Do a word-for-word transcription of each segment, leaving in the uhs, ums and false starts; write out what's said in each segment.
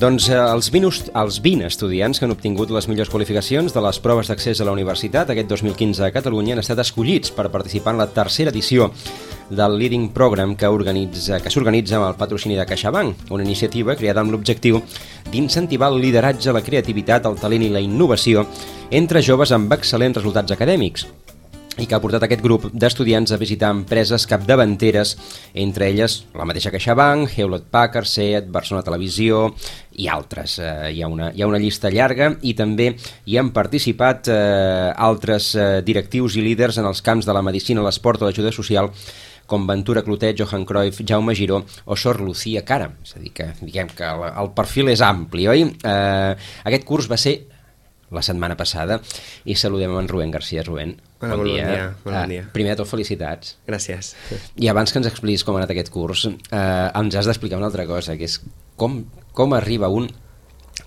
Doncs eh, els, vint, els vint estudiants que han obtingut les millors qualificacions de les proves d'accés a la universitat aquest dos mil quinze a Catalunya han estat escollits per participar en la tercera edició del Leading Program que organitza que s'organitza amb el patrocini de CaixaBank, una iniciativa creada amb l'objectiu d'incentivar el lideratge, la creativitat, el talent i la innovació entre joves amb excel·lents resultats acadèmics, i que ha portat aquest grup d'estudiants a visitar empreses capdavanteres, entre elles la mateixa CaixaBank, Hewlett-Packard, Seat, Barcelona Televisió i altres. Eh, hi ha una, hi ha una llista llarga i també hi han participat eh, altres eh, directius i líders en els camps de la medicina, l'esport o l'ajuda social, com Ventura Clotet, Johan Cruyff, Jaume Giró o Sor Lucía Cara. És a dir, que diguem que el, el perfil és ampli, oi? Eh, aquest curs va ser la setmana passada i saludem en Rubén García. Rubén, Hola, bon, bon dia. dia. Bon uh, dia. Primer de tot, felicitats. Gràcies. I abans que ens expliquis com ha anat aquest curs, uh, ens has d'explicar una altra cosa, que és com, com arriba un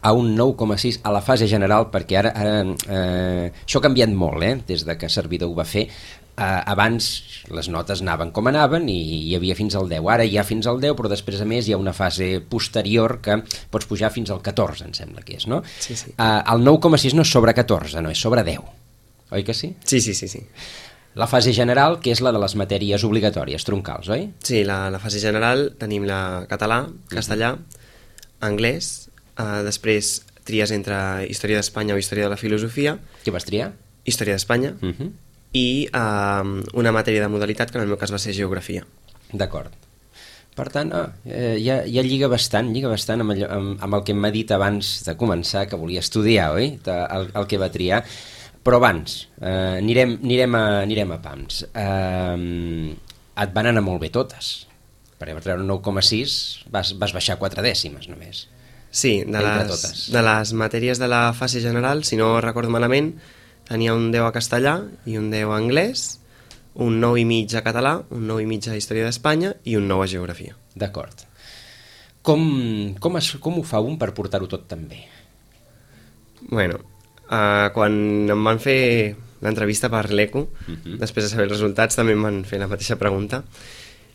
a un nou coma sis a la fase general, perquè ara, ara eh, això ha canviat molt, eh, des de que Servidor ho va fer. Uh, abans les notes anaven com anaven i hi havia fins al deu, ara hi ha fins al deu, però després a més hi ha una fase posterior que pots pujar fins al catorze, em sembla que és, no? Sí, sí. Uh, el nou coma sis no és sobre catorze, no, és sobre deu, oi que sí? Sí, sí, sí, sí. La fase general, que és la de les matèries obligatòries, troncals, oi? Sí, la, la fase general tenim la català, castellà, anglès, uh, després tries entre història d'Espanya o història de la filosofia. Què vas triar? Història d'Espanya. Uh -huh. I uh, una matèria de modalitat que en el meu cas va ser geografia. D'acord. Per tant, ah, eh, ja, ja lliga bastant, lliga bastant amb, allò, amb, amb el que m'ha dit abans de començar, que volia estudiar, oi? El, el que va triar. Però abans, eh, anirem, anirem, a, anirem a pams. Eh, et van anar molt bé totes. Per treure un nou coma sis vas, vas baixar quatre dècimes només. Sí, de les, de les matèries de la fase general, si no recordo malament, tenia un deu a castellà i un deu a anglès, un nou i mig a català, un nou i mig a història d'Espanya i un nou a geografia. D'acord. Com, com, es, com ho fa un per portar-ho tot tan bé? Bueno, uh, quan em van fer l'entrevista per l'Eco, uh-huh. després de saber els resultats també em van fer la mateixa pregunta,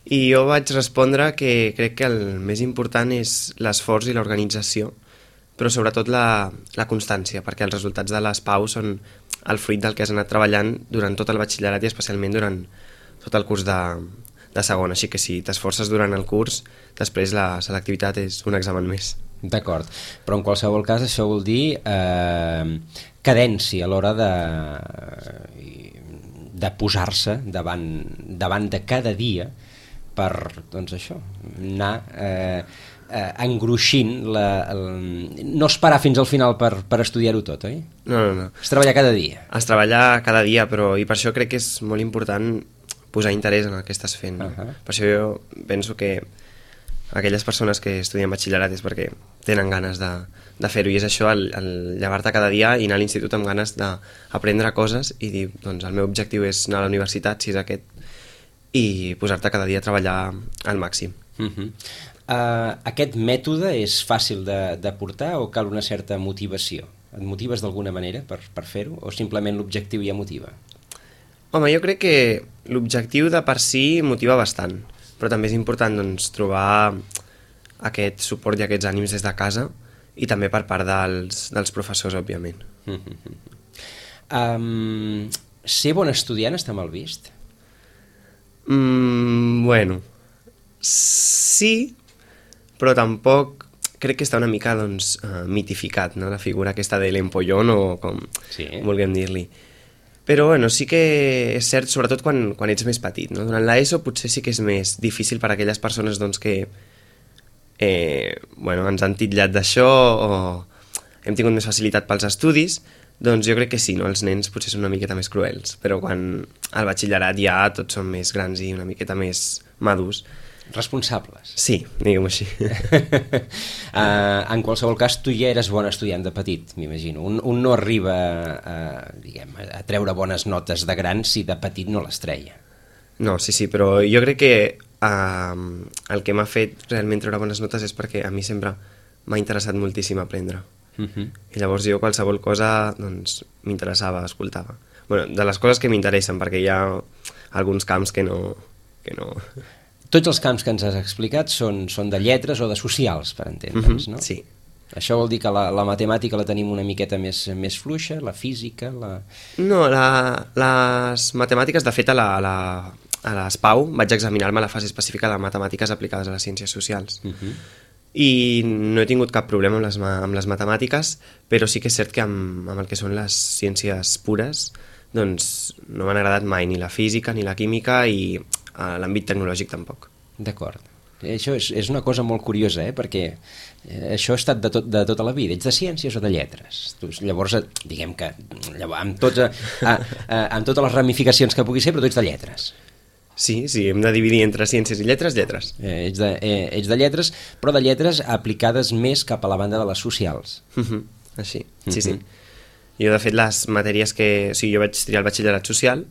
i jo vaig respondre que crec que el més important és l'esforç i l'organització, però sobretot la, la constància, perquè els resultats de les P A U són el fruit del que has anat treballant durant tot el batxillerat i especialment durant tot el curs de, de segon. Així que si t'esforces durant el curs, després la selectivitat és un examen més. D'acord, però en qualsevol cas això vol dir eh, cadència a l'hora de, de posar-se davant, davant de cada dia per, doncs això, anar eh, eh, engruixint la, el... no esperar fins al final per, per estudiar-ho tot, oi? No, no, no. Es treballar cada dia. Es treballa cada dia, però i per això crec que és molt important posar interès en el que estàs fent. No? Uh-huh. Per això jo penso que aquelles persones que estudien batxillerat és perquè tenen ganes de, de fer-ho, i és això, el, el llevar-te cada dia i anar a l'institut amb ganes d'aprendre coses i dir, doncs el meu objectiu és anar a la universitat, si és aquest, i posar-te cada dia a treballar al màxim. Uh-huh. Uh, aquest mètode és fàcil de, de portar o cal una certa motivació? Et motives d'alguna manera per, per fer-ho o simplement l'objectiu ja motiva? Home, jo crec que l'objectiu de per si motiva bastant, però també és important doncs, trobar aquest suport i aquests ànims des de casa i també per part dels, dels professors, òbviament. Uh-huh. um, ser bon estudiant està mal vist? Mm, bueno, sí, però tampoc crec que està una mica doncs, uh, mitificat, no? La figura aquesta de l'empollón o com sí. vulguem dir-li. Però bueno, sí que és cert, sobretot quan, quan ets més petit, no? Durant l'ESO potser sí que és més difícil per a aquelles persones doncs, que eh, bueno, ens han titllat d'això o hem tingut més facilitat pels estudis, doncs jo crec que sí, no? Els nens potser són una miqueta més cruels, però quan al batxillerat ja tots són més grans i una miqueta més madurs. Responsables. Sí, diguem-ho així. uh, en qualsevol cas, tu ja eres bon estudiant de petit, m'imagino. Un, un no arriba a, diguem, a treure bones notes de gran si de petit no les treia. No, sí, sí, però jo crec que uh, el que m'ha fet realment treure bones notes és perquè a mi sempre m'ha interessat moltíssim aprendre. Uh-huh. I llavors jo qualsevol cosa doncs, m'interessava, escoltava. Bueno, de les coses que m'interessen, perquè hi ha alguns camps que no... Que no... Tots els camps que ens has explicat són, són de lletres o de socials, per entendre'ns, uh-huh. no? Sí. Això vol dir que la, la matemàtica la tenim una miqueta més, més fluixa, la física... La... No, la, les matemàtiques, de fet, a la, a la, a l'ESPAU vaig examinar-me la fase específica de matemàtiques aplicades a les ciències socials. Uh-huh. I no he tingut cap problema amb les, amb les matemàtiques, però sí que és cert que amb, amb el que són les ciències pures doncs no m'han agradat mai ni la física ni la química i a l'àmbit tecnològic tampoc. D'acord. Això és, és una cosa molt curiosa, eh? Perquè eh, això ha estat de, tot, de tota la vida. Ets de ciències o de lletres? Tu, llavors, diguem que llavors, amb, tots, a, a, a, amb totes les ramificacions que pugui ser, però tu ets de lletres. Sí, sí, hem de dividir entre ciències i lletres, lletres. Eh, ets, de, eh, ets de lletres, però de lletres aplicades més cap a la banda de les socials. Uh-huh. Així, sí, uh-huh. sí. Jo, de fet, les matèries que... O sigui, jo vaig triar el batxillerat social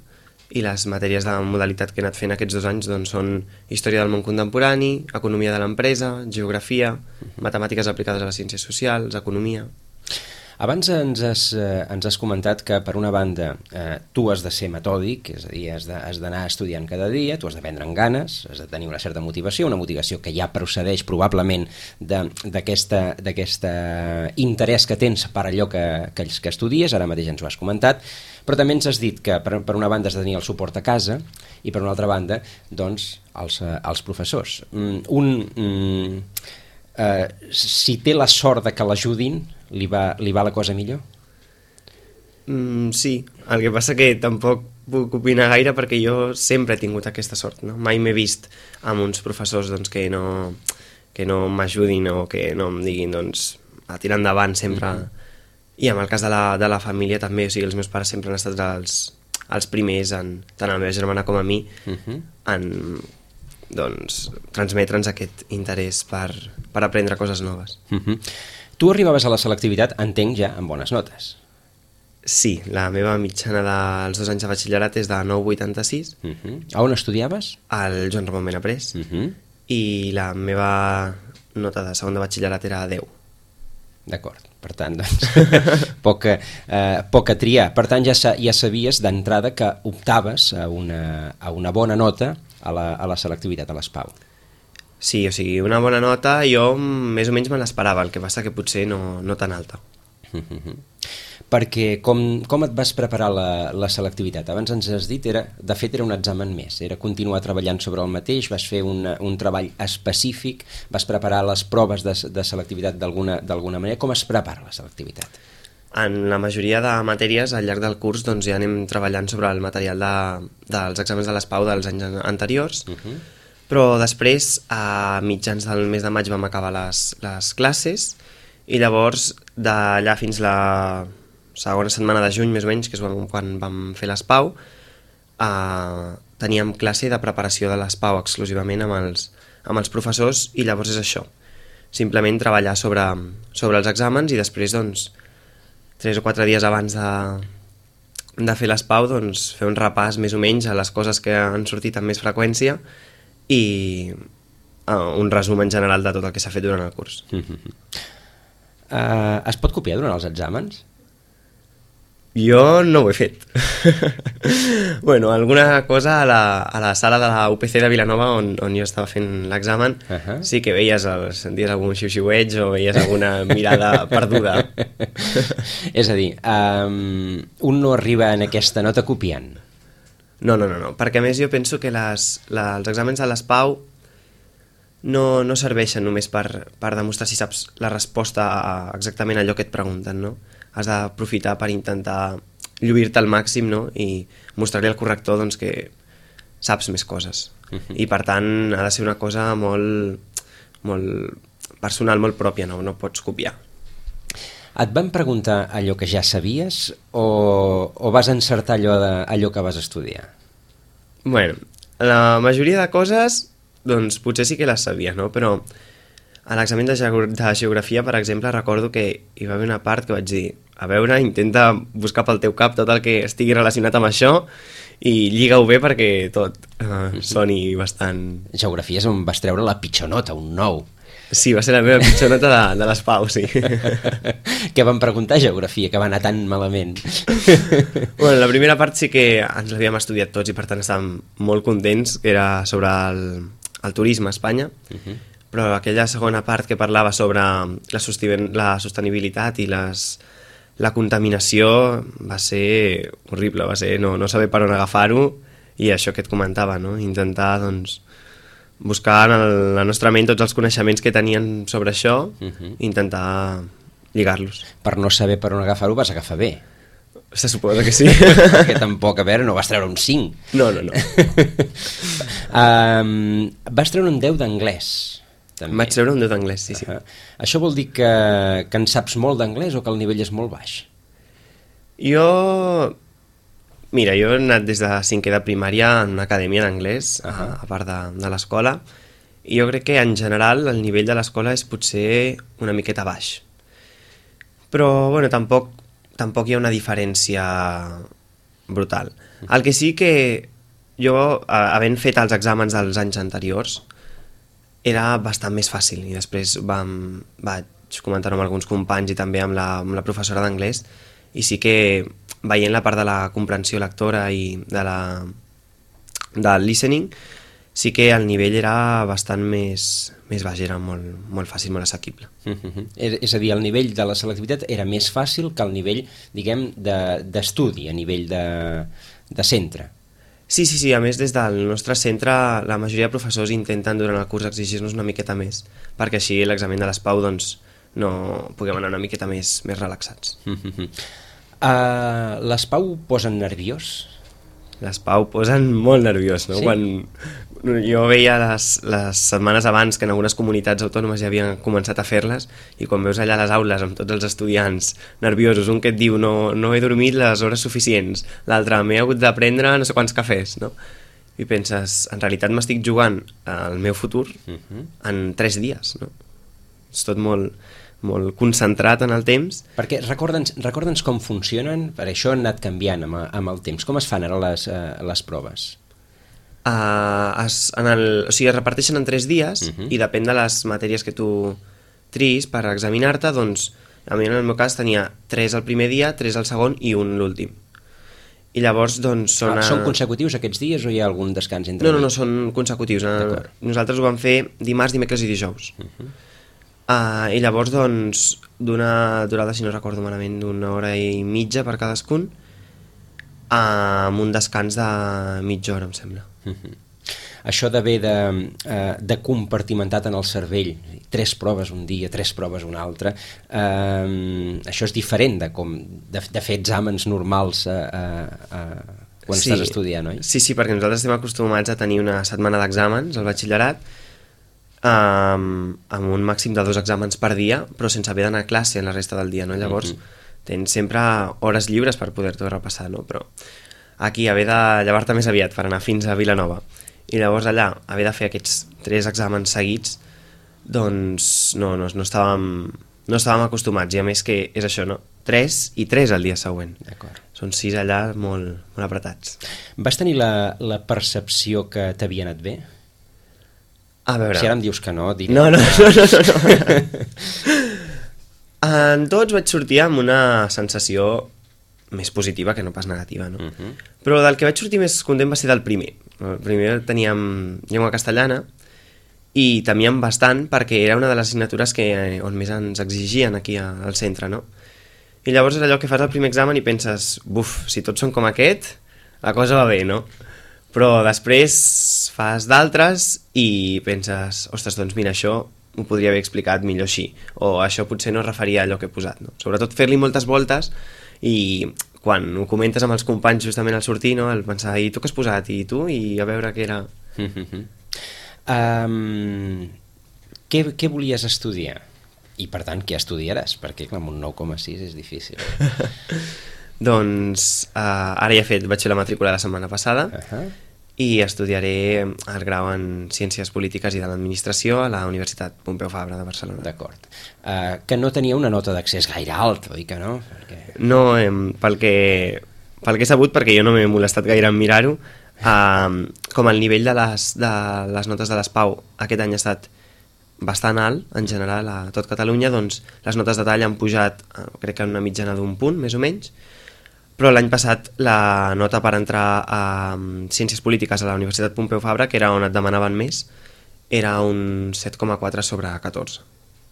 i les matèries de modalitat que he anat fent aquests dos anys doncs, són història del món contemporani, economia de l'empresa, geografia, uh-huh. matemàtiques aplicades a les ciències socials, economia... Abans ens has, eh, ens has comentat que, per una banda, eh, tu has de ser metòdic, és a dir, has, de, has d'anar estudiant cada dia, tu has de prendre en ganes, has de tenir una certa motivació, una motivació que ja procedeix probablement d'aquest interès que tens per allò que, que, que estudies, ara mateix ens ho has comentat, però també ens has dit que, per, per una banda, has de tenir el suport a casa i, per una altra banda, doncs, els, els professors. Mm, un... Mm, Uh, si té la sort de que l'ajudin, li va, li va la cosa millor? Mm, sí, el que passa que tampoc puc opinar gaire perquè jo sempre he tingut aquesta sort, no? Mai m'he vist amb uns professors doncs, que no, que no m'ajudin o que no em diguin doncs, a tirar endavant sempre. Mm-hmm. I en el cas de la, de la família també, o sigui, els meus pares sempre han estat els, els primers, en, tant a la meva germana com a mi, mm-hmm. en doncs, transmetre'ns aquest interès per, per aprendre coses noves. Uh-huh. Tu arribaves a la selectivitat, entenc, ja amb bones notes. Sí, la meva mitjana dels dos anys de batxillerat és de nou coma vuitanta-sis. Uh-huh. A on estudiaves? Al Joan Ramon Benaprés. Uh-huh. I la meva nota de segon de batxillerat era deu. D'acord, per tant, doncs, poca, eh, poca triar. Per tant, ja, ja sabies d'entrada que optaves a una, a una bona nota a la, a la selectivitat, a l'ESPAU. Sí, o sigui, una bona nota jo més o menys me l'esperava, el que passa que potser no, no tan alta. Uh-huh. Perquè com, com et vas preparar la, la selectivitat? Abans ens has dit, era, de fet era un examen més, era continuar treballant sobre el mateix, vas fer un, un treball específic, vas preparar les proves de, de selectivitat d'alguna d'alguna manera. Com es prepara la selectivitat? En la majoria de matèries al llarg del curs doncs, ja anem treballant sobre el material de, dels exàmens de l'ESPAU dels anys anteriors, uh-huh. però després, a mitjans del mes de maig vam acabar les, les classes i llavors d'allà fins la segona setmana de juny, més o menys, que és quan vam fer l'ESPAU, eh, teníem classe de preparació de l'ESPAU exclusivament amb els, amb els professors i llavors és això, simplement treballar sobre, sobre els exàmens i després doncs tres o quatre dies abans de, de fer l'ESPAU, doncs, fer un repàs més o menys a les coses que han sortit amb més freqüència i uh, un resum en general de tot el que s'ha fet durant el curs. Mm-hmm. Uh, es pot copiar durant els exàmens? Jo no ho he fet. Bueno, alguna cosa a la, a la sala de la U P C de Vilanova on, on jo estava fent l'examen, uh-huh. sí que veies, el, senties algun xiu-xiueig o veies alguna mirada perduda. És a dir, um, un no arriba en aquesta nota copiant. No, no, no, no, perquè a més jo penso que les, la, els exàmens de l'ESPAU no, no serveixen només per, per demostrar si saps la resposta a exactament allò que et pregunten, no? Has d'aprofitar per intentar lluir-te al màxim, no? I mostrar-li al corrector doncs, que saps més coses. Uh-huh. I per tant ha de ser una cosa molt, molt personal, molt pròpia, no? No pots copiar. Et van preguntar allò que ja sabies o, o vas encertar allò, de, allò que vas estudiar? Bueno, la majoria de coses doncs potser sí que les sabia, no? Però a l'examen de, geog de geografia, per exemple, recordo que hi va haver una part que vaig dir, a veure, intenta buscar pel teu cap tot el que estigui relacionat amb això i lliga-ho bé perquè tot uh, soni bastant... Geografia és on vas treure la pitjor nota, un nou. Sí, va ser la meva pitjor nota de, de l'ESPAU, sí. Què van preguntar geografia, que va anar tan malament? Bueno, la primera part sí que ens l'havíem estudiat tots i per tant estàvem molt contents, que era sobre el, el turisme a Espanya, uh-huh. però aquella segona part que parlava sobre la, sosten la sostenibilitat i les, la contaminació va ser horrible, va ser no, no saber per on agafar-ho, i això que et comentava, no? Intentar doncs, buscar en el, la nostra ment tots els coneixements que tenien sobre això, uh-huh. i intentar lligar-los. Per no saber per on agafar-ho vas agafar bé. Se suposa que sí. Perquè tampoc, a veure, no vas treure un cinc. No, no, no. um, vas treure un deu d'anglès. També. Vaig treure un deu d'anglès, sí, sí. Uh -huh. Això vol dir que, que en saps molt d'anglès o que el nivell és molt baix? Jo... Mira, jo he anat des de cinquè de primària en una acadèmia d'anglès, uh -huh. a, a part de, de l'escola, i jo crec que en general el nivell de l'escola és potser una miqueta baix. Però, bueno, tampoc... tampoc hi ha una diferència brutal. El que sí que jo, havent fet els exàmens dels anys anteriors, era bastant més fàcil, i després vam, vaig comentar-ho amb alguns companys i també amb la, amb la professora d'anglès, i sí que veient la part de la comprensió lectora i de la, del listening, sí que el nivell era bastant més, més baix, era molt, molt fàcil, molt assequible. Uh-huh. És a dir, el nivell de la selectivitat era més fàcil que el nivell, diguem, d'estudi, de, a nivell de, de centre. Sí, sí, sí, a més des del nostre centre la majoria de professors intenten durant el curs exigir-nos una miqueta més, perquè així l'examen de l'S P A U doncs, no puguem anar una miqueta més, més relaxats. Uh-huh. uh, L'S P A U posen nerviós? L'S P A U posen molt nerviós, no? Sí? Quan jo veia les, les setmanes abans que en algunes comunitats autònomes ja havien començat a fer-les, i quan veus allà les aules amb tots els estudiants nerviosos, un que et diu no, no he dormit les hores suficients, l'altre m'he hagut de prendre no sé quants cafès, no? I penses, en realitat m'estic jugant al meu futur uh-huh. en tres dies, no? És tot molt... molt concentrat en el temps. Perquè recorda'ns recorda'ns com funcionen, per això han anat canviant amb, amb el temps. Com es fan ara les, uh, les proves? Uh, es, en el, o sigui, es reparteixen en tres dies uh-huh. i depèn de les matèries que tu tris per examinar-te, doncs a mi en el meu cas tenia tres el primer dia, tres el segon i un l'últim. I llavors doncs són... Ah, són consecutius aquests dies o hi ha algun descans entre? No, no, no, són consecutius. Nosaltres ho vam fer dimarts, dimecres i dijous. Uh-huh. Uh, i llavors doncs d'una durada, si no recordo malament, d'una hora i mitja per cadascun, uh, amb un descans de mitja hora, em sembla. Uh-huh. Això d'haver de, uh, de compartimentat en el cervell, tres proves un dia, tres proves un altre, uh, això és diferent de, com, de, de fer exàmens normals uh, uh, uh, quan sí. estàs estudiant, oi? Sí, sí, perquè nosaltres estem acostumats a tenir una setmana d'exàmens al batxillerat, Um, amb un màxim de dos exàmens per dia, però sense haver d'anar a classe en la resta del dia, no? Llavors mm-hmm. tens sempre hores lliures per poder-t'ho repassar, no? Però aquí haver de llevar-te més aviat per anar fins a Vilanova i llavors allà haver de fer aquests tres exàmens seguits, doncs no, no, no estàvem no estàvem acostumats, i a més que és això, no? Tres i tres el dia següent. D'acord. Són sis allà molt, molt apretats. Vas tenir la, la percepció que t'havia anat bé? A veure... Si ara em dius que no, diré... No, no, no, no, no. En tots vaig sortir amb una sensació més positiva que no pas negativa, no? Uh-huh. Però del que vaig sortir més content va ser del primer. El primer teníem llengua castellana i temíem bastant perquè era una de les assignatures que, on més ens exigien aquí al centre, no? I llavors és allò que fas el primer examen i penses, buf, si tots són com aquest, la cosa va bé, no? Però després fas d'altres i penses, ostres, doncs mira, això ho podria haver explicat millor així, o això potser no es referia a allò que he posat, no? Sobretot fer-li moltes voltes, i quan ho comentes amb els companys justament al sortir, no? El pensar, i tu què has posat, i tu, i a veure què era... Mm-hmm. um, què, què volies estudiar? I per tant, què estudiaràs? Perquè clar, amb un nou coma sis és difícil. Doncs uh, ara ja he fet, vaig fer la matrícula la setmana passada, uh-huh. i estudiaré el grau en Ciències Polítiques i de l'Administració a la Universitat Pompeu Fabra de Barcelona. D'acord. Uh, que no tenia una nota d'accés gaire alta, oi que no? Perquè... No, eh, pel, que, pel que he sabut, perquè jo no m'he molestat gaire en mirar-ho, uh, com el nivell de les, de les notes de l'S P A U aquest any ha estat bastant alt, en general, a tot Catalunya, doncs les notes de tall han pujat, uh, crec que en una mitjana d'un punt, més o menys, però l'any passat la nota per entrar a Ciències Polítiques a la Universitat Pompeu Fabra, que era on et demanaven més, era un set coma quatre sobre catorze.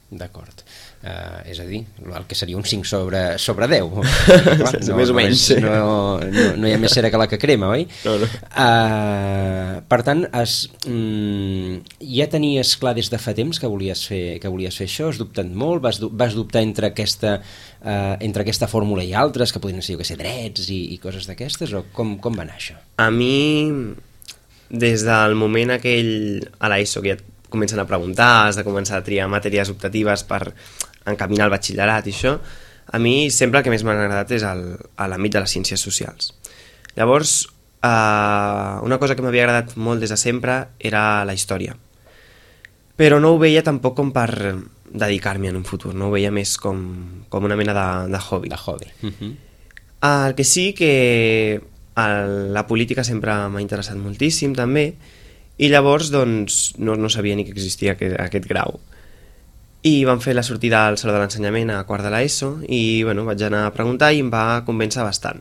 D'acord. Uh, és a dir, el que seria un cinc sobre, sobre deu. Clar, no, més o menys. No, no, no hi ha més cera que la que crema, oi? No, no. Uh, per tant, es, mm, ja tenies clar des de fa temps que volies fer, que volies fer això? Has dubtat molt? Vas, vas dubtar entre aquesta, uh, entre aquesta fórmula i altres, que podrien ser, jo què sé, drets i, i coses d'aquestes? O com, com va anar això? A mi, des del moment aquell a l'ESO, que ja comencen a preguntar, has de començar a triar matèries optatives per encaminar el batxillerat i això, a mi sempre el que més m'ha agradat és el, a l'àmbit de les ciències socials. Llavors, eh, una cosa que m'havia agradat molt des de sempre era la història. Però no ho veia tampoc com per dedicar-m'hi en un futur, no ho veia més com, com una mena de, de hobby. De hobby. Uh-huh. El que sí que el, la política sempre m'ha interessat moltíssim també, i llavors doncs, no, no sabia ni que existia aquest, aquest grau. I vam fer la sortida al Saló de l'Ensenyament a quart de l'ESO i bueno, vaig anar a preguntar i em va convèncer bastant.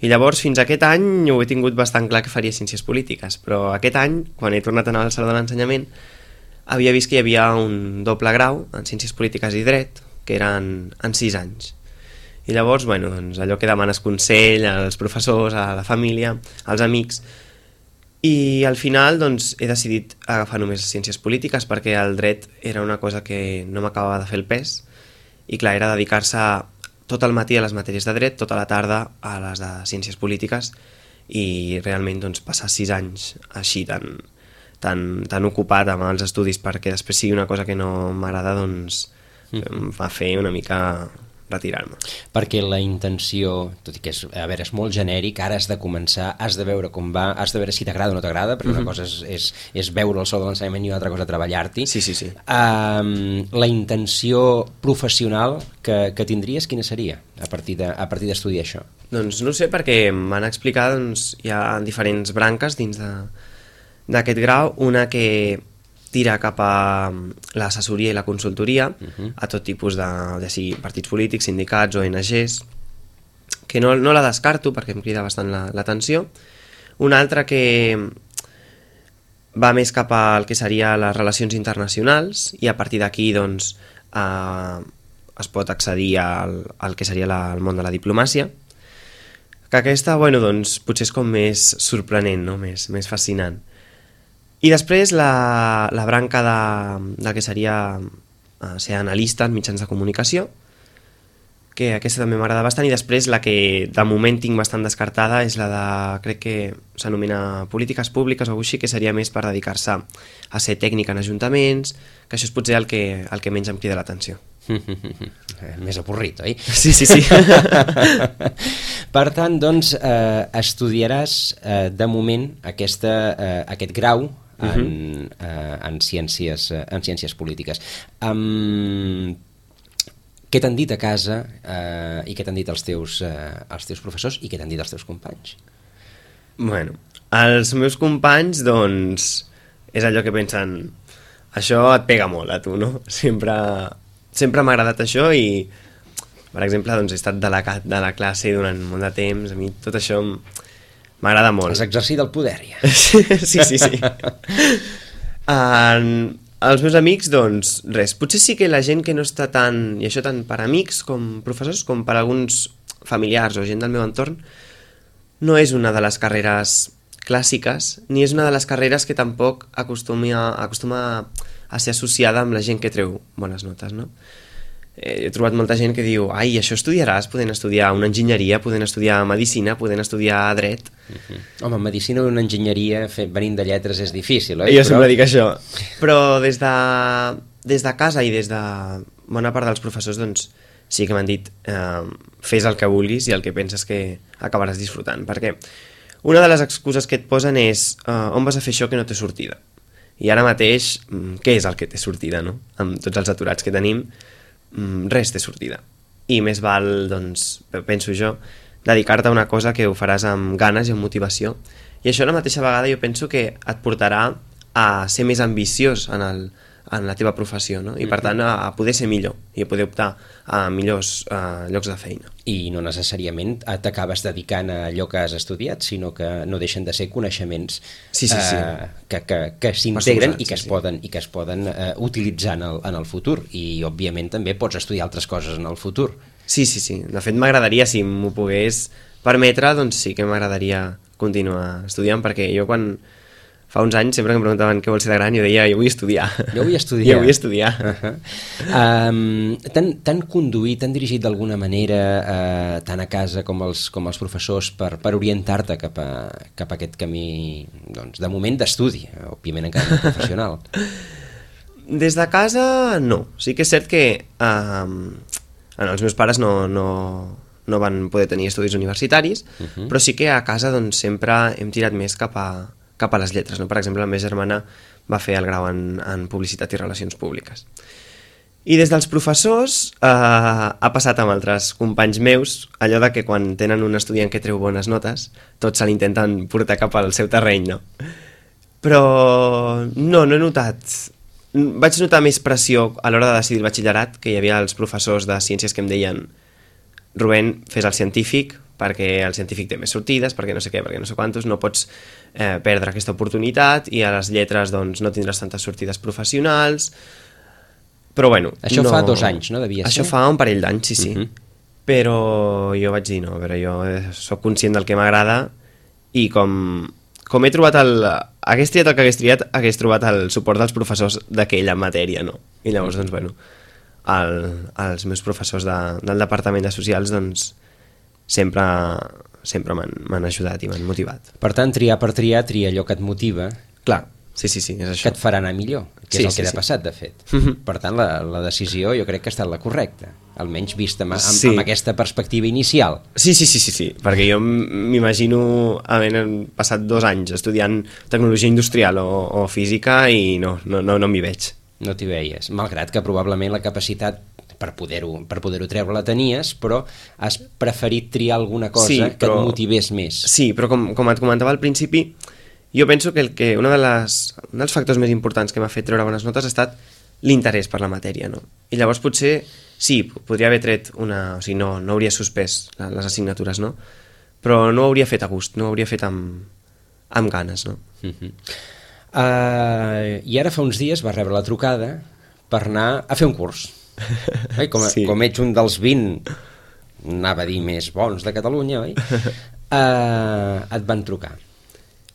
I llavors fins aquest any ho he tingut bastant clar que faria ciències polítiques, però aquest any, quan he tornat a anar al Saló de l'Ensenyament, havia vist que hi havia un doble grau en ciències polítiques i dret, que eren en sis anys. I llavors, bueno, doncs, allò que demanes consell als professors, a la família, als amics. I al final doncs, he decidit agafar només ciències polítiques perquè el dret era una cosa que no m'acabava de fer el pes i clar, era dedicar-se tot el matí a les matèries de dret, tota la tarda a les de ciències polítiques i realment doncs, passar sis anys així tan, tan, tan ocupat amb els estudis perquè després sigui una cosa que no m'agrada, doncs em va fer una mica retirar-me. Perquè la intenció, tot i que és, a veure, és molt genèric, ara has de començar, has de veure com va, has de veure si t'agrada o no t'agrada, perquè mm-hmm. una cosa és, és, és veure el sol de l'ensenyament i una altra cosa treballar-t'hi. Sí, sí, sí. Um, la intenció professional que, que tindries, quina seria a partir de, a partir d'estudiar això? Doncs no sé, perquè m'han explicat, doncs, hi ha diferents branques dins de, d'aquest grau, una que tira cap a l'assessoria i la consultoria uh-huh. a tot tipus de, ja sigui partits polítics, sindicats, O N Ges, que no, no la descarto perquè em crida bastant l'atenció. Una altra que va més cap al que seria les relacions internacionals i a partir d'aquí doncs, eh, es pot accedir al, al que seria la, el món de la diplomàcia, que aquesta, bueno, doncs, potser és com més sorprenent, no? més, més fascinant. I després la, la branca de, de que seria uh, ser analista en mitjans de comunicació, que aquesta també m'agrada bastant, i després la que de moment tinc bastant descartada és la de, crec que s'anomena polítiques públiques o així, que seria més per dedicar-se a ser tècnic en ajuntaments, que això és potser el que, el que menys em crida l'atenció. Més avorrit, oi? Sí, sí, sí. Per tant, doncs, eh, estudiaràs eh, de moment aquesta, eh, aquest grau en, uh-huh. eh, en, ciències, en ciències polítiques. Um, què t'han dit a casa eh, i què t'han dit els teus, eh, els teus professors i què t'han dit els teus companys? Bueno, els meus companys, doncs, és allò que pensen, això et pega molt a tu, no? Sempre, sempre m'ha agradat això i, per exemple, doncs, he estat delegat de la classe durant molt de temps, a mi tot això m'agrada molt. Has exercit el poder, ja. Sí, sí, sí. En, els meus amics, doncs, res. Potser sí que la gent que no està tan, i això tant per amics com professors, com per alguns familiars o gent del meu entorn, no és una de les carreres clàssiques, ni és una de les carreres que tampoc acostuma, acostuma a ser associada amb la gent que treu bones notes, no? He trobat molta gent que diu, ai, això estudiaràs, podent estudiar una enginyeria, podent estudiar medicina, podent estudiar dret. Uh-huh. Home, medicina o una enginyeria fet, venint de lletres és difícil, oi? Jo Però... sempre dic això. Però des de, des de casa i des de bona part dels professors, doncs, sí que m'han dit, eh, fes el que vulguis i el que penses que acabaràs disfrutant. Perquè una de les excuses que et posen és, eh, on vas a fer això que no té sortida? I ara mateix, què és el que té sortida, no? Amb tots els aturats que tenim, res té sortida. I més val, doncs, penso jo, dedicar-te a una cosa que ho faràs amb ganes i amb motivació. I això a la mateixa vegada jo penso que et portarà a ser més ambiciós en el, en la teva professió, no? I per tant a, a poder ser millor i a poder optar a millors uh, llocs de feina. I no necessàriament t'acabes dedicant a allò que has estudiat, sinó que no deixen de ser coneixements sí, sí, sí. Uh, que, que, que s'integren i que es sí, poden, sí. i que es poden uh, utilitzar en el, en el futur, i òbviament també pots estudiar altres coses en el futur. Sí, sí, sí. De fet m'agradaria, si m'ho pogués permetre, doncs sí que m'agradaria continuar estudiant, perquè jo quan fa uns anys sempre que em preguntaven què vols ser de gran, jo deia, jo vull estudiar. Jo vull estudiar. Jo vull estudiar. Uh-huh. um, T'han conduït, t'han dirigit d'alguna manera, uh, tant a casa com els, com els professors, per, per orientar-te cap, a, cap a aquest camí, doncs, de moment d'estudi, òbviament encara no professional? Des de casa, no. Sí que és cert que um, els meus pares no, no, no van poder tenir estudis universitaris, uh-huh. però sí que a casa doncs, sempre hem tirat més cap a cap a les lletres, no? Per exemple, la meva germana va fer el grau en, en Publicitat i Relacions Públiques. I des dels professors eh, ha passat amb altres companys meus allò de que quan tenen un estudiant que treu bones notes, tots se l'intenten portar cap al seu terreny, no? Però no, no he notat... Vaig notar més pressió a l'hora de decidir el batxillerat, que hi havia els professors de ciències que em deien Rubén, fes el científic, perquè el científic té més sortides, perquè no sé què, perquè no sé quantos, no pots eh, perdre aquesta oportunitat, i a les lletres doncs, no tindràs tantes sortides professionals, però bueno... Això no... fa dos anys, no? Devia Això ser? fa un parell d'anys, sí, sí. Uh-huh. Però jo vaig dir, no, a veure, jo soc conscient del que m'agrada, i com, com he trobat el... Hagués triat el que hagués triat, hagués trobat el suport dels professors d'aquella matèria, no? I llavors, doncs, bueno, el, els meus professors de, del Departament de Socials, doncs, sempre, sempre m'han ajudat i m'han motivat. Per tant, triar per triar, triar allò que et motiva. Clar, sí, sí, sí, és això. Que et farà anar millor, que sí, és el sí, que sí. ha passat, de fet. Uh-huh. Per tant, la, la decisió jo crec que ha estat la correcta, almenys vista amb, amb, sí. amb aquesta perspectiva inicial. Sí, sí, sí, sí, sí, perquè jo m'imagino havent passat dos anys estudiant tecnologia industrial o, o física i no, no, no, no m'hi veig. No t'hi veies, malgrat que probablement la capacitat per poder-ho per poder-ho treure la tenies, però has preferit triar alguna cosa sí, però, que et motivés més. Sí, però com, com et comentava al principi, jo penso que, el que una de les, un dels factors més importants que m'ha fet treure bones notes ha estat l'interès per la matèria, no? I llavors potser, sí, podria haver tret una... O sigui, no, no hauria suspès les assignatures, no? Però no ho hauria fet a gust, no ho hauria fet amb, amb ganes, no? Uh-huh. uh, I ara fa uns dies va rebre la trucada per anar a fer un curs. Oi? Com, sí. com ets un dels vint, anava a dir més bons de Catalunya, oi? Uh, et van trucar.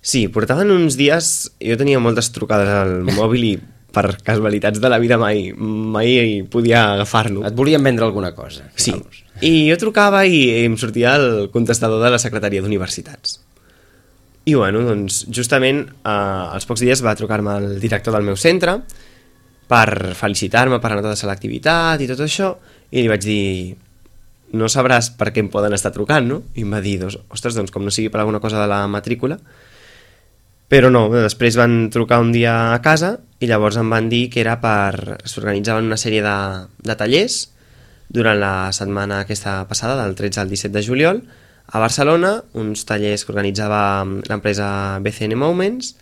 Sí, portaven uns dies, jo tenia moltes trucades al mòbil i per casualitats de la vida mai, mai podia agafar-lo. Et volien vendre alguna cosa. Sí, i jo trucava i em sortia el contestador de la Secretaria d'Universitats. I bueno, doncs justament eh, als pocs dies va trucar-me el director del meu centre per felicitar-me per la nota de selectivitat i tot això, i li vaig dir, no sabràs per què em poden estar trucant, no? I em va dir, doncs, ostres, doncs com no sigui per alguna cosa de la matrícula, però no, després van trucar un dia a casa i llavors em van dir que era per... s'organitzaven una sèrie de, de tallers durant la setmana aquesta passada, del tretze al disset de juliol, a Barcelona, uns tallers que organitzava l'empresa B C N Moments,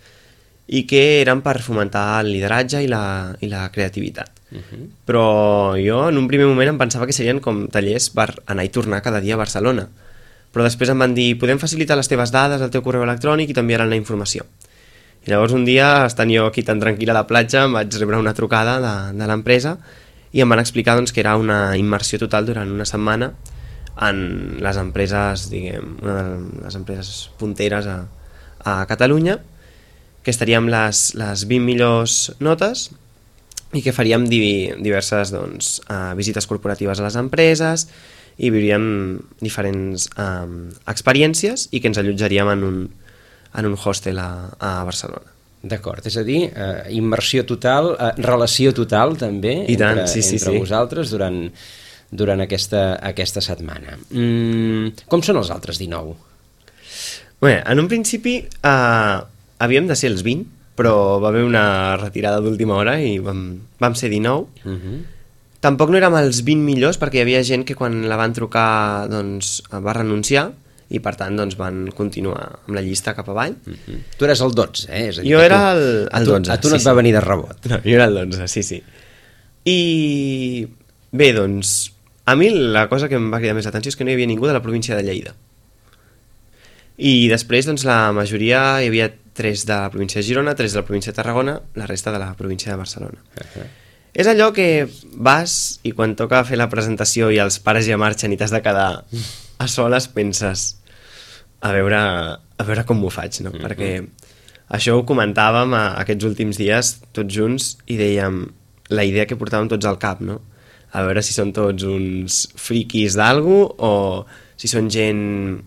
i que eren per fomentar el lideratge i la, i la creativitat. Uh-huh. Però jo en un primer moment em pensava que serien com tallers per anar i tornar cada dia a Barcelona. Però després em van dir, podem facilitar les teves dades, el teu correu electrònic i t'enviaran la informació. I llavors un dia, estant jo aquí tan tranquil a la platja, em vaig rebre una trucada de, de l'empresa i em van explicar doncs, que era una immersió total durant una setmana en les empreses, diguem, una de les empreses punteres a, a Catalunya, que estaríem les, les vint millors notes i que faríem di, diverses doncs, uh, visites corporatives a les empreses i viuríem diferents um, experiències i que ens allotjaríem en un, en un hostel a, a Barcelona. D'acord, és a dir, eh, immersió total, eh, relació total també I tant, entre, sí, sí, entre sí. vosaltres durant, durant aquesta, aquesta setmana. Mm, com són els altres dinou? Bé, en un principi... Uh, havíem de ser els vint, però va haver una retirada d'última hora i vam, vam ser dinou. Uh-huh. Tampoc no érem els vint millors perquè hi havia gent que quan la van trucar doncs, va renunciar i per tant doncs, van continuar amb la llista cap avall. Mm-hmm. Tu eres el dotze, eh? És a dir, jo era tu, el, el dotze. A tu, a tu no sí, et va sí. venir de rebot. No, jo era el dotze, sí, sí. I bé, doncs, a mi la cosa que em va cridar més l'atenció és que no hi havia ningú de la província de Lleida. I després, doncs, la majoria, hi havia tres de la província de Girona, tres de la província de Tarragona, la resta de la província de Barcelona. Uh-huh. És allò que vas i quan toca fer la presentació i els pares ja marxen i t'has de quedar a soles, penses a veure, a veure com m'ho faig, no? Mm-hmm. Perquè això ho comentàvem a, aquests últims dies tots junts i dèiem la idea que portàvem tots al cap, no? A veure si són tots uns friquis d'algú o si són gent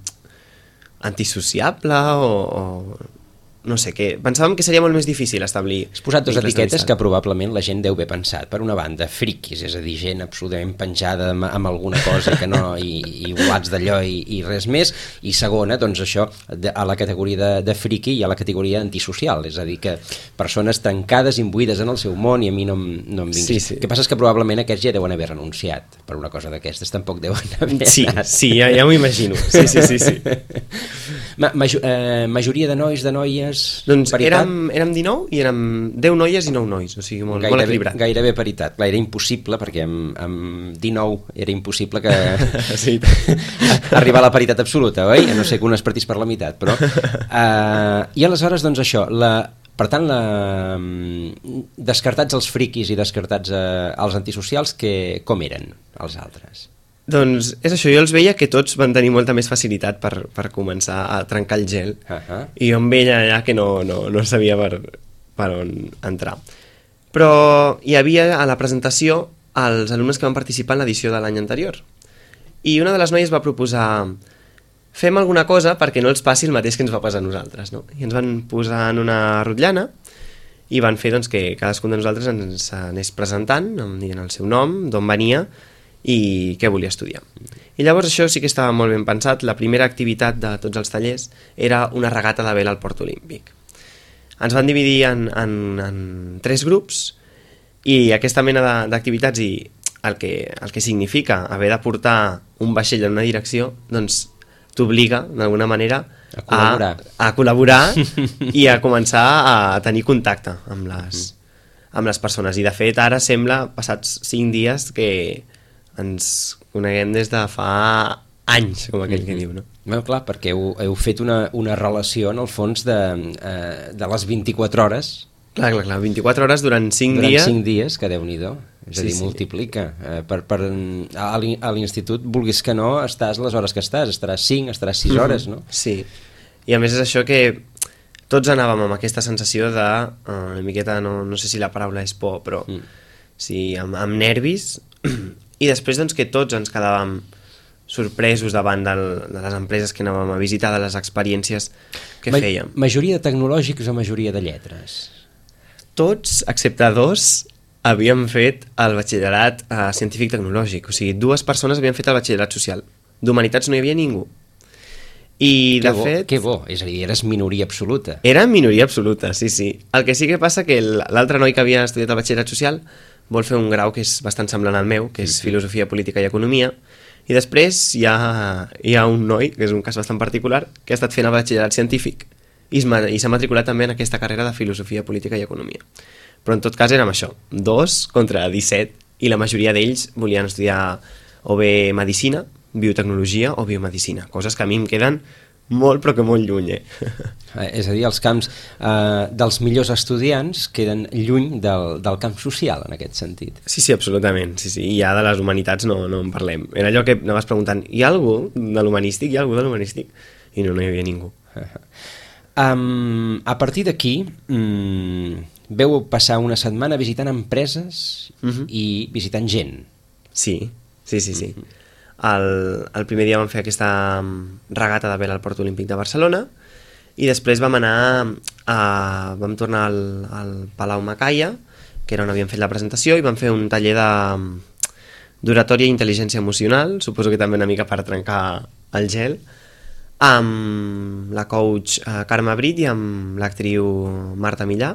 antisociable o... o no sé què, pensàvem que seria molt més difícil establir... Has posat dues etiquetes que probablement la gent deu haver pensat. Per una banda, friquis, és a dir, gent absolutament penjada amb, amb alguna cosa que no, i, i volats d'allò i, i res més, i segona, doncs això, de, a la categoria de, de friqui i a la categoria antisocial, és a dir, que persones tancades, imbuïdes en el seu món i a mi no, no em vinguis. Sí, sí. El que passa és que probablement aquests ja deuen haver renunciat per una cosa d'aquestes, tampoc deuen haver sí, anat. Sí, ja, ja m'ho imagino. Sí, sí, sí, sí. Ma, major, eh, majoria de nois, de noies... Doncs érem, érem dinou i érem deu noies i nou nois, o sigui, molt, gairebé, molt equilibrat. Gairebé paritat. Clar, era impossible, perquè amb, amb dinou era impossible que sí. arribar a la paritat absoluta, oi? No sé que un es partís per la meitat, però... Uh, I aleshores, doncs això, la, per tant, la, descartats els friquis i descartats uh, els antisocials, que, com eren els altres? Doncs és això, jo els veia que tots van tenir molta més facilitat per, per començar a trencar el gel, uh-huh. i jo em veia allà que no, no, no sabia per, per on entrar. Però hi havia a la presentació els alumnes que van participar en l'edició de l'any anterior, i una de les noies va proposar fem alguna cosa perquè no els passi el mateix que ens va passar a nosaltres, no? I ens van posar en una rotllana i van fer doncs, que cadascun de nosaltres ens anés presentant, dient el seu nom, d'on venia i què volia estudiar. I llavors això sí que estava molt ben pensat. La primera activitat de tots els tallers era una regata de vela al Port Olímpic. Ens van dividir en, en, en tres grups i aquesta mena d'activitats i el que, el que significa haver de portar un vaixell en una direcció, doncs t'obliga d'alguna manera a col·laborar, a, a col·laborar i a començar a tenir contacte amb les, amb les persones. I de fet ara sembla, passats cinc dies, que ens coneguem des de fa anys, com aquell que diu, no? Bueno, clar, perquè heu, heu fet una, una relació, en el fons, de, eh, de les vint-i-quatre hores. Clar, clar, clar, vint-i-quatre hores durant cinc durant dies. Durant cinc dies, que Déu-n'hi-do. És a dir, sí, multiplica. Sí. Eh, per, per, a l'institut, vulguis que no, estàs les hores que estàs, estaràs cinc, estaràs sis hores, no? Sí, i a més és això que tots anàvem amb aquesta sensació de, uh, una miqueta, no, no sé si la paraula és por, però mm. sí, amb, amb nervis. I després doncs, que tots ens quedàvem sorpresos davant del, de les empreses que anàvem a visitar, de les experiències que Ma fèiem. Majoria de tecnològics o majoria de lletres? Tots, excepte dos, havíem fet el batxillerat eh, científic-tecnològic. O sigui, dues persones havien fet el batxillerat social. D'humanitats no hi havia ningú. I, que de bo, fet... Que bo, és a dir, eres minoria absoluta. Era minoria absoluta, sí, sí. El que sí que passa que l'altre noi que havia estudiat el batxillerat social vol fer un grau que és bastant semblant al meu, que és Filosofia Política i Economia, i després hi ha, hi ha un noi, que és un cas bastant particular, que ha estat fent el batxillerat científic i s'ha matriculat també en aquesta carrera de Filosofia Política i Economia. Però en tot cas érem això, dos contra disset, i la majoria d'ells volien estudiar o bé Medicina, Biotecnologia o Biomedicina, coses que a mi em queden molt però que molt lluny, eh? És a dir, els camps eh, dels millors estudiants queden lluny del, del camp social, en aquest sentit. Sí, sí, absolutament. Sí, sí. I ja de les humanitats no, no en parlem. Era allò que anaves preguntant, hi ha algú de l'humanístic? Hi ha algú de l'humanístic? I no, no hi havia ningú. Um, a partir d'aquí, um, veu passar una setmana visitant empreses uh-huh. i visitant gent. Sí, sí, sí, sí. Uh-huh. El, el primer dia vam fer aquesta regata de vela al Port Olímpic de Barcelona i després vam anar a, vam tornar al, al Palau Macaya, que era on havíem fet la presentació, i vam fer un taller de d'oratòria i intel·ligència emocional, suposo que també una mica per trencar el gel, amb la coach eh, Carme Brit i amb l'actriu Marta Millà,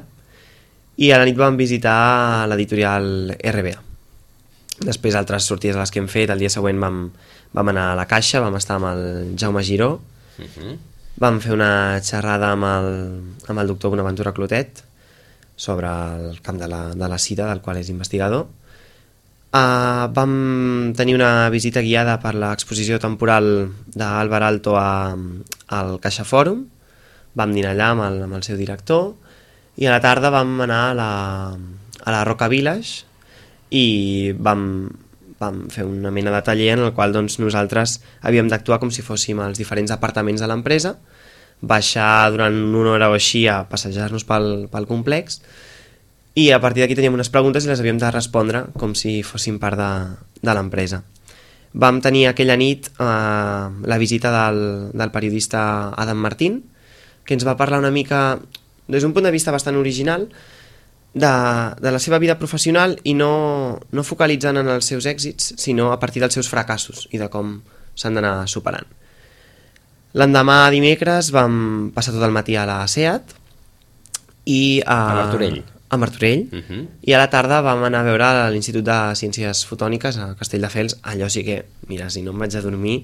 i a la nit vam visitar l'editorial R B A. Després altres sortides a les que hem fet, el dia següent vam, vam anar a la Caixa, vam estar amb el Jaume Giró, Uh-huh. Vam fer una xerrada amb el, amb el doctor Bonaventura Clotet sobre el camp de la, de la sida, del qual és investigador. Uh, vam tenir una visita guiada per l'exposició temporal d'Álvar Alto a, al Caixa Fòrum. Vam dinar allà amb el, amb el seu director i a la tarda vam anar a la, a la Roca Village i vam, vam fer una mena de taller en el qual doncs, nosaltres havíem d'actuar com si fóssim els diferents apartaments de l'empresa, baixar durant una hora o així a passejar-nos pel, pel complex i a partir d'aquí teníem unes preguntes i les havíem de respondre com si fóssim part de, de l'empresa. Vam tenir aquella nit eh, la visita del, del periodista Adam Martín, que ens va parlar una mica des d'un punt de vista bastant original de, de la seva vida professional i no, no focalitzant en els seus èxits, sinó a partir dels seus fracassos i de com s'han d'anar superant. L'endemà dimecres vam passar tot el matí a la SEAT i a, a Martorell, a Martorell uh-huh. i a la tarda vam anar a veure a l'Institut de Ciències Fotòniques a Castelldefels. Allò sí que, mira, si no em vaig a dormir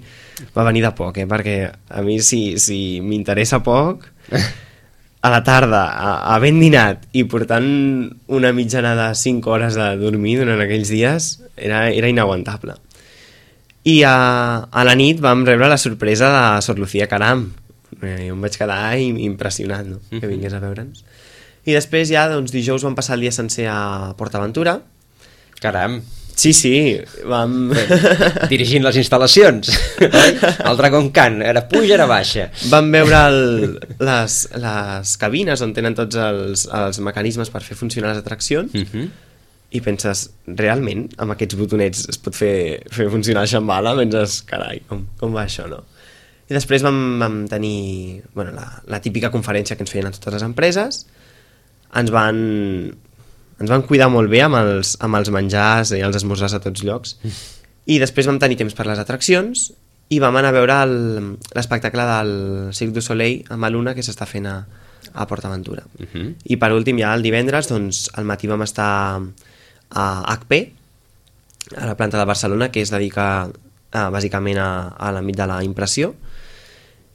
va venir de poc, eh? Perquè a mi si, si m'interessa poc a la tarda, havent dinat i portant una mitjana de cinc hores de dormir durant aquells dies, era, era inaguantable. I a, a la nit vam rebre la sorpresa de Sor Lucía Caram. Jo em vaig quedar impressionat, no? Que vingués a veure'ns. I després ja, doncs, dijous vam passar el dia sencer a PortAventura. Caram! Sí, sí, vam... Dirigint les instal·lacions, oi? El Dragon Khan, era puja, era baixa. Vam veure el, les, les cabines on tenen tots els, els mecanismes per fer funcionar les atraccions uh-huh. i penses, realment, amb aquests botonets es pot fer, fer funcionar el Shambhala? Penses, carai, com, com va això, no? I després vam, vam tenir bueno, la, la típica conferència que ens feien a totes les empreses. Ens van... ens van cuidar molt bé amb els, amb els menjars i els esmorzars a tots llocs i després vam tenir temps per les atraccions i vam anar a veure l'espectacle del Cirque du Soleil amb Luna que s'està fent a, a PortAventura uh-huh. i per últim ja el divendres doncs, al matí vam estar a H P a la planta de Barcelona que es dedica a, bàsicament a, a l'àmbit de la impressió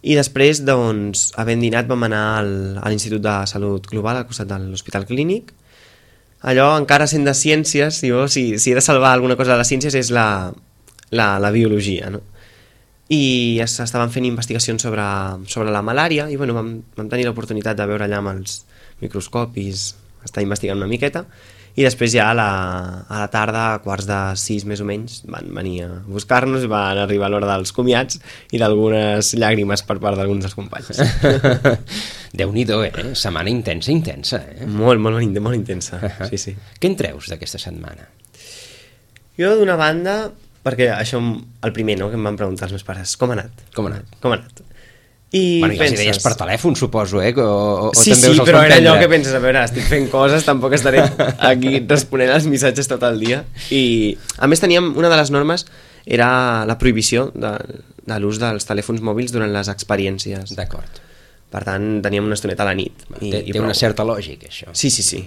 i després doncs, havent dinat vam anar al, a l'Institut de Salut Global al costat de l'Hospital Clínic. Allò, encara sent de ciències, jo, si, si he de salvar alguna cosa de les ciències és la, la, la biologia, no? I estaven fent investigacions sobre, sobre la malària i bueno, vam, vam tenir l'oportunitat de veure allà amb els microscopis, estar investigant una miqueta i després ja a la, a la tarda, a quarts de sis més o menys, van venir a buscar-nos i van arribar a l'hora dels comiats i d'algunes llàgrimes per part d'alguns dels companys. Déu-n'hi-do, eh? Setmana intensa, intensa, eh? Molt, molt, molt, molt intensa, sí, sí. Què en treus d'aquesta setmana? Jo, d'una banda, perquè això, el primer, no?, que em van preguntar els meus pares, com ha anat? Com ha anat? Com ha anat? I bueno, penses... les idees per telèfon, suposo, eh? O, o sí, també sí, però era allò que penses, a veure, estic fent coses, tampoc estaré aquí responent als missatges tot el dia. I, a més, teníem, una de les normes era la prohibició de, de l'ús dels telèfons mòbils durant les experiències. D'acord. Per tant, teníem una estoneta a la nit. I, té té una certa lògica, això. Sí, sí, sí.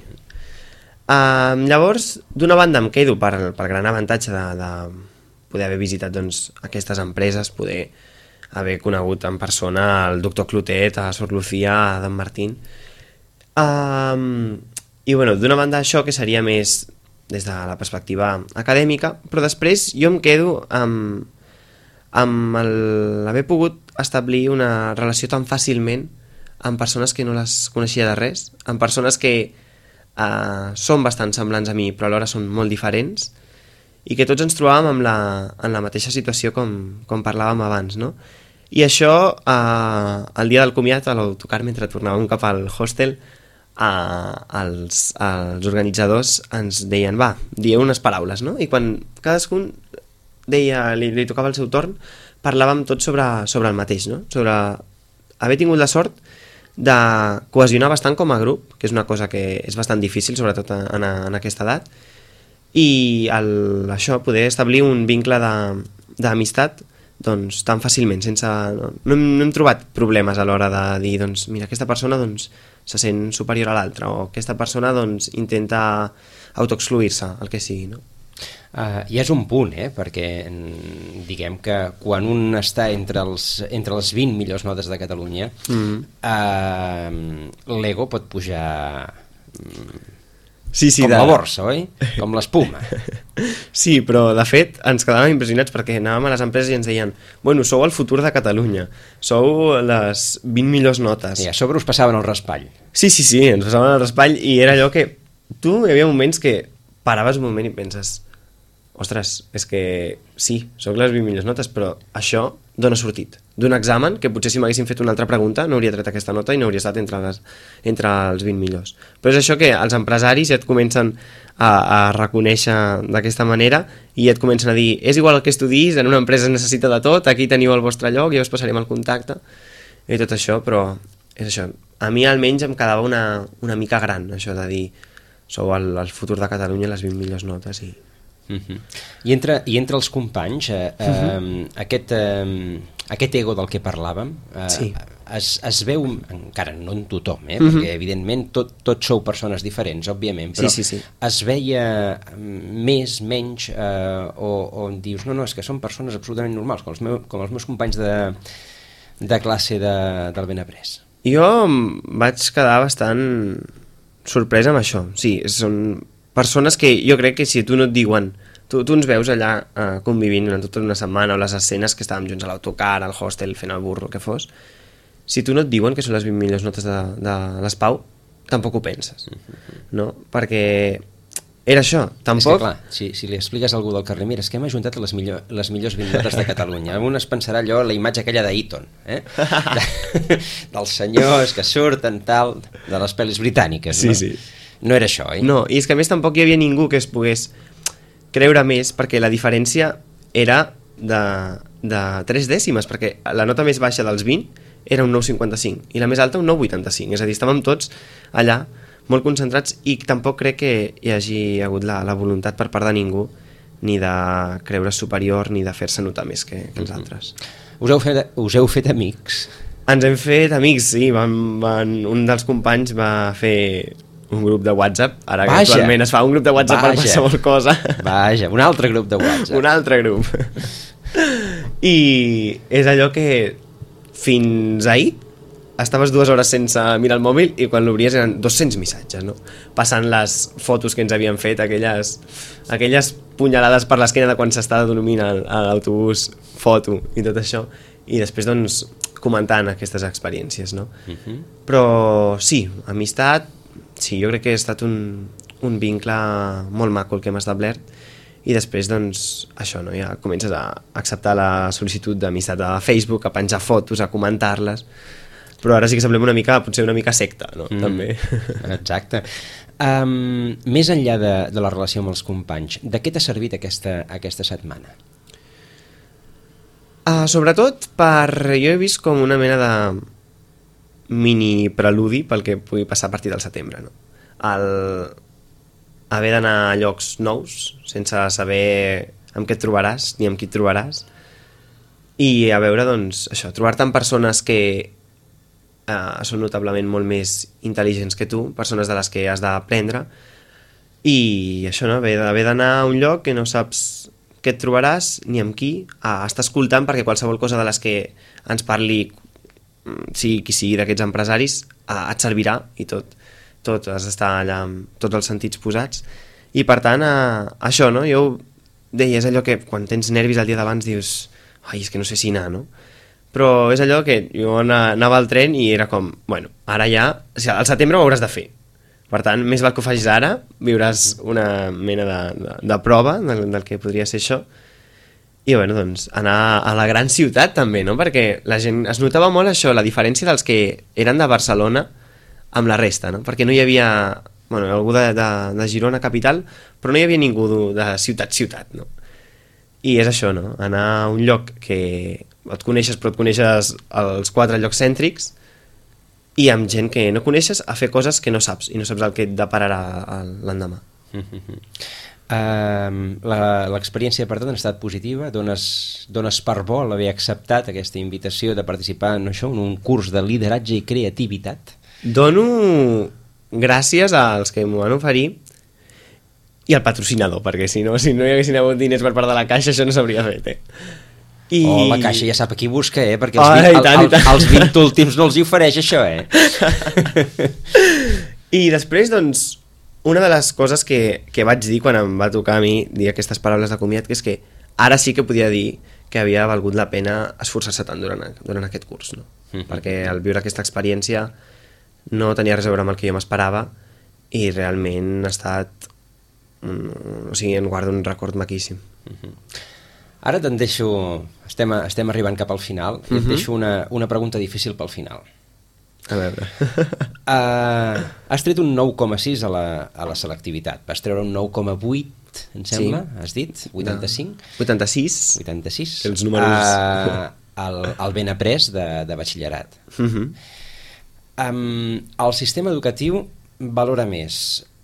Uh, llavors, d'una banda em quedo per, per gran avantatge de, de poder haver visitat doncs, aquestes empreses, poder haver conegut en persona el doctor Clotet, a Sor Lucía, a Adam Martín. Um, I bueno, d'una banda això que seria més des de la perspectiva acadèmica, però després jo em quedo amb, amb l'haver pogut establir una relació tan fàcilment amb persones que no les coneixia de res, amb persones que uh, són bastant semblants a mi però alhora són molt diferents i que tots ens trobàvem en la, en la mateixa situació com, com parlàvem abans, no? I això, eh, el dia del comiat, a l'autocar, mentre tornàvem cap al hostel, eh, els, els organitzadors ens deien, va, dieu unes paraules, no? I quan cadascun deia, li, li tocava el seu torn, parlàvem tots sobre, sobre el mateix, no? Sobre haver tingut la sort de cohesionar bastant com a grup, que és una cosa que és bastant difícil, sobretot en, en aquesta edat, i el, això, poder establir un vincle d'amistat doncs, tan fàcilment, sense... No, no, hem, no hem trobat problemes a l'hora de dir, doncs, mira, aquesta persona doncs, se sent superior a l'altra, o aquesta persona doncs, intenta autoexcluir-se, el que sigui, no? Uh, I és un punt, eh? Perquè diguem que quan un està entre els, entre les vint millors notes de Catalunya, mm. uh, l'ego pot pujar sí, sí, com de... la borsa, oi? Com l'espuma. Sí, però de fet ens quedàvem impressionats perquè anàvem a les empreses i ens deien bueno, sou el futur de Catalunya, sou les vint millors notes. I a sobre us passaven el raspall. Sí, sí, sí, ens passaven el raspall i era allò que tu hi havia moments que paraves un moment i penses ostres, és que sí, sóc les vint millors notes, però això d'on ha sortit? D'un examen que potser si m'haguessin fet una altra pregunta no hauria tret aquesta nota i no hauria estat entre, les, entre els vint millors. Però és això que els empresaris ja et comencen a, a reconèixer d'aquesta manera i et comencen a dir, és igual el que estudis, en una empresa es necessita de tot, aquí teniu el vostre lloc, ja us passarem el contacte i tot això, però és això. A mi almenys em quedava una, una mica gran, això de dir, sou el, el futur de Catalunya, les vint millors notes i... Uh-huh. I, entre, I entre els companys eh, eh, uh-huh. aquest, eh, aquest ego del que parlàvem eh, sí. es, es veu encara no en tothom eh, uh-huh. perquè evidentment tot, tots sou persones diferents òbviament, però sí, sí, sí. es veia més, menys eh, o, o dius no, no, és que són persones absolutament normals com els, meu, com els meus companys de, de classe de, del Benaprés. Jo vaig quedar bastant sorprès amb això, sí, són persones que jo crec que si tu no et diuen tu, tu ens veus allà eh, convivint durant tota una setmana o les escenes que estàvem junts a l'autocar, al hostel, fent el burro, que fos, si tu no et diuen que són les vint millors notes de, de l'Espau, tampoc ho penses, no? Perquè era això, tampoc... És que clar, si, si li expliques a algú del carrer, mira, és que hem ajuntat les, millor, les millors vint notes de Catalunya, un es pensarà allò, la imatge aquella d'Eaton, eh? De, dels senyors que surten tal, de les pel·lis britàniques, no? Sí, sí. No era això, eh? No, i és que a més tampoc hi havia ningú que es pogués creure més, perquè la diferència era de, de tres dècimes, perquè la nota més baixa dels vint era un nou coma cinquanta-cinc i la més alta un nou coma vuitanta-cinc, és a dir, estàvem tots allà molt concentrats i tampoc crec que hi hagi hagut la, la voluntat per part de ningú ni de creure superior ni de fer-se notar més que, que els altres. Us heu fet, us heu fet amics? Ens hem fet amics, sí, van, van, un dels companys va fer un grup de WhatsApp, ara que Vaja. actualment es fa un grup de WhatsApp Vaja. per qualsevol cosa. Vaja, un altre grup de WhatsApp. Un altre grup. I és allò que fins ahir estaves dues hores sense mirar el mòbil i quan l'obries eren dos-cents missatges, no? Passant les fotos que ens havien fet, aquelles, aquelles punyalades per l'esquena de quan s'estava dormint a l'autobús, foto i tot això, i després doncs comentant aquestes experiències, no? Uh-huh. Però sí, amistat, sí, jo crec que ha estat un, un vincle molt maco el que hem establert i després doncs això, no? Ja comences a acceptar la sol·licitud d'amistat a Facebook, a penjar fotos, a comentar-les, però ara sí que semblem una mica, potser una mica secta, no? Mm, també. Exacte. Um, més enllà de, de la relació amb els companys, de què t'ha servit aquesta, aquesta setmana? Uh, sobretot per... Jo he vist com una mena de mini preludi pel que pugui passar a partir del setembre, no? El haver d'anar a llocs nous sense saber amb què et trobaràs ni amb qui et trobaràs i a veure, doncs, això, trobar-te amb persones que eh, són notablement molt més intel·ligents que tu, persones de les que has d'aprendre i això, no? Haver d'anar a un lloc que no saps què et trobaràs ni amb qui, a estar escoltant perquè qualsevol cosa de les que ens parli sigui qui sigui d'aquests empresaris eh, et servirà i tot, tot has d'estar allà amb tots els sentits posats i per tant eh, això, no? Jo deia, és allò que quan tens nervis el dia d'abans dius, ai, és que no sé si anar, no? Però és allò que jo anava al tren i era com, bueno, ara ja, o sigui, al setembre ho hauràs de fer, per tant, més val que ho facis ara, viuràs una mena de, de, de prova del, del que podria ser això. I bueno, doncs, anar a la gran ciutat també, no? Perquè la gent es notava molt això, la diferència dels que eren de Barcelona amb la resta, no? Perquè no hi havia, bueno, algú de, de, de Girona capital, però no hi havia ningú de ciutat-ciutat, no? I és això, no? Anar a un lloc que et coneixes però et coneixes els quatre llocs cèntrics i amb gent que no coneixes a fer coses que no saps i no saps el que et depararà l'endemà. Uh, l'experiència per tant ha estat positiva, dones, dones per bo l'haver acceptat aquesta invitació de participar en això, en un curs de lideratge i creativitat? Dono gràcies als que m'ho van oferir i el patrocinador, perquè si no, si no hi haguessin hagut diners per part de la Caixa, això no s'hauria fet, eh? I... Oh, la Caixa ja sap a qui busca, eh? Perquè els, oh, vint, tant, el, el, els vint últims no els hi ofereix això, eh? I després, doncs, una de les coses que, que vaig dir quan em va tocar a mi dir aquestes paraules de comiat, que és que ara sí que podia dir que havia valgut la pena esforçar-se tant durant, durant aquest curs, no? Mm-hmm. Perquè al viure aquesta experiència no tenia res a veure amb el que jo m'esperava i realment ha estat... O sigui, en guardo un record maquíssim. Mm-hmm. Ara te'n deixo... Estem, estem arribant cap al final i mm-hmm. et deixo una, una pregunta difícil pel final. A veure... uh, has tret un nou coma sis a la, a la selectivitat. Vas treure un nou coma vuit, em sembla, sí. Has dit? vuitanta-cinc? No. vuitanta-sis. vuitanta-sis. Els números... Uh, el, el ben après de, de batxillerat. Mm-hmm. um, el sistema educatiu valora més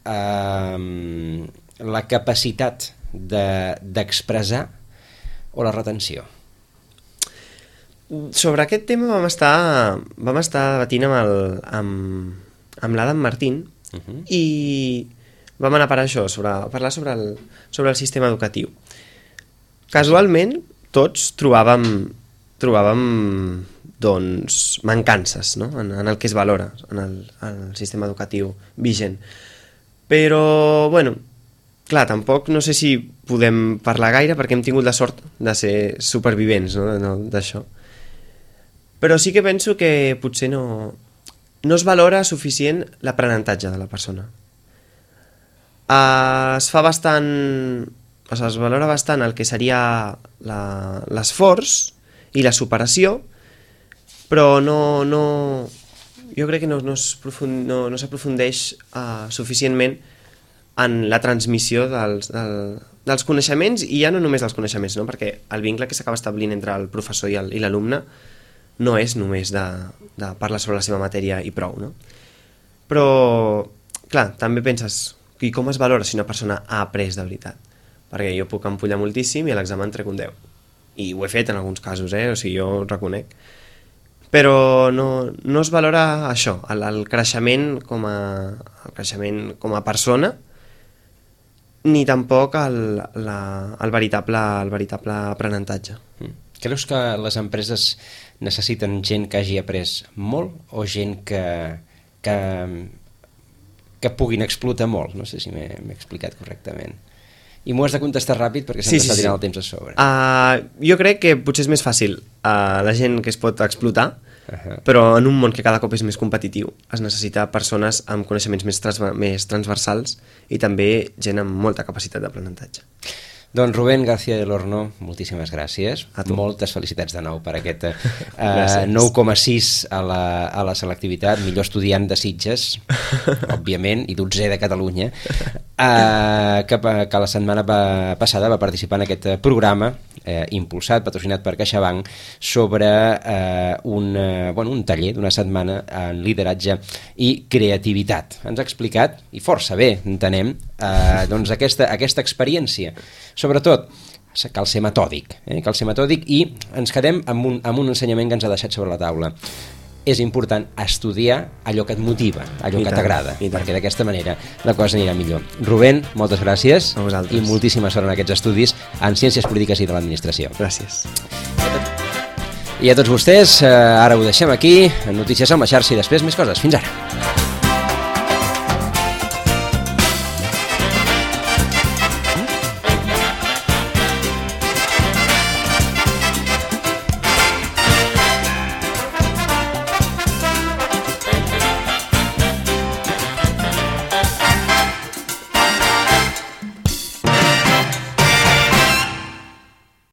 um, la capacitat d'expressar de, o la retenció? Sobre aquest tema vam estar, vam estar debatint amb, el, amb, amb l'Adam Martín uh-huh. i vam anar per això, sobre, parlar sobre el, sobre el sistema educatiu. Casualment, tots trobàvem, trobàvem doncs, mancances, no? en, en el que es valora en el, en el sistema educatiu vigent. Però, bueno, clar, tampoc no sé si podem parlar gaire perquè hem tingut la sort de ser supervivents, no? d'això. Però sí que penso que potser no, no es valora suficient l'aprenentatge de la persona. Uh, es fa bastant... O sigui, es valora bastant el que seria l'esforç i la superació, però no... no jo crec que no, no s'aprofundeix no, uh, suficientment en la transmissió dels, del, dels coneixements, i ja no només dels coneixements, no? Perquè el vincle que s'acaba establint entre el professor i l'alumne no és només de, de parlar sobre la seva matèria i prou, no? Però, clar, també penses, i com es valora si una persona ha après de veritat? Perquè jo puc empollar moltíssim i a l'examen trec un deu. I ho he fet en alguns casos, eh? O sigui, jo ho reconec. Però no, no es valora això, el, el, creixement com a, el creixement com a persona, ni tampoc el, la, el, veritable, el veritable aprenentatge. Mm. Creus que les empreses necessiten gent que hagi après molt o gent que, que, que puguin explotar molt? No sé si m'he explicat correctament. I m'ho has de contestar ràpid perquè se'm sí, està sí, tirant sí. el temps a sobre. Uh, jo crec que potser és més fàcil uh, la gent que es pot explotar, uh-huh. però en un món que cada cop és més competitiu es necessita persones amb coneixements més, trans més transversals i també gent amb molta capacitat d'aprenentatge. Doncs Rubén García del Horno, moltíssimes gràcies. Moltes felicitats de nou per aquest uh, nou coma sis a la, a la selectivitat, millor estudiant de Sitges, òbviament, i dotzè de Catalunya, uh, que, que la setmana va, passada va participar en aquest programa eh, impulsat, patrocinat per CaixaBank, sobre eh, un, uh, bueno, un taller d'una setmana en lideratge i creativitat. Ens ha explicat, i força bé, entenem, eh, doncs aquesta, aquesta experiència. Sobretot, cal ser metòdic, eh? cal ser metòdic i ens quedem amb un, amb un ensenyament que ens ha deixat sobre la taula. És important estudiar allò que et motiva, allò I que t'agrada, perquè d'aquesta manera la cosa anirà millor. Rubén, moltes gràcies i moltíssima sort en aquests estudis en Ciències Polítiques i de l'Administració. Gràcies. I a tots vostès, eh, ara ho deixem aquí, en Notícies amb la xarxa i després més coses. Fins ara.